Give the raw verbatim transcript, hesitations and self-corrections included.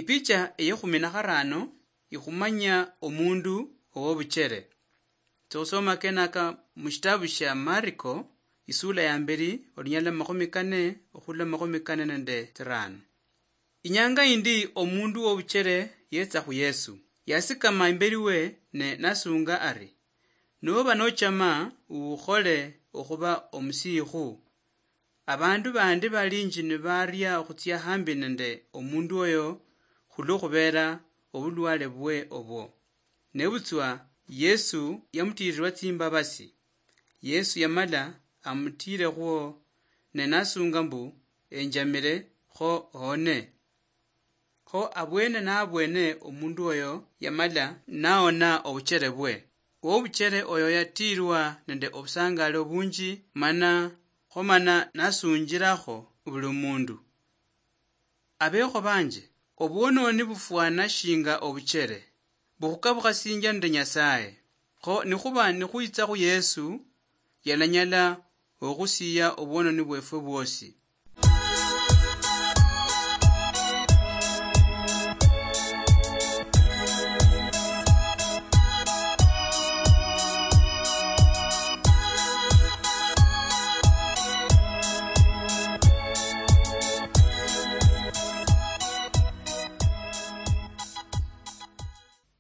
Ipicha eyekhumi na kharano ikhumanya omundu owobuchere. Tsokhusoma kenaka mushitabu shia Mariko, isula ya mberi, olunyala makhumi kane okhula makhumi kane nende tsirano. Inyanga yindi omundu wobuchere yetsa khu Yesu. Yasikama imberi we ne nasunga ari, "Noba nochama, ukhole okhuba omusiikhu." Abandu bandi balinji nibaria okhutsia hambi nende omundu oyo khulwo khubeera obulwale bwe obwo. Nebutswa Yesu yamutiirirwa tsimbabasi. Yesu yamala amutiirekhwo ne nasunga mbu, "Enjamire, kho ohone." Kho abwene nabwene omundu oyo yamala naona obuchere bwe. Owobuchere oyo yatiirwa nende obusangaali obunji, mana, kho mana nasunjirakho buli omundu. Abekho banje, obwononi bufwana shinga obuchere, bukhukabukhasinjia nende Nyasaye. Kho nikhuba nikhwitsa khu Yesu, yalanyala okhusiya obwononi bwefwe bwosi.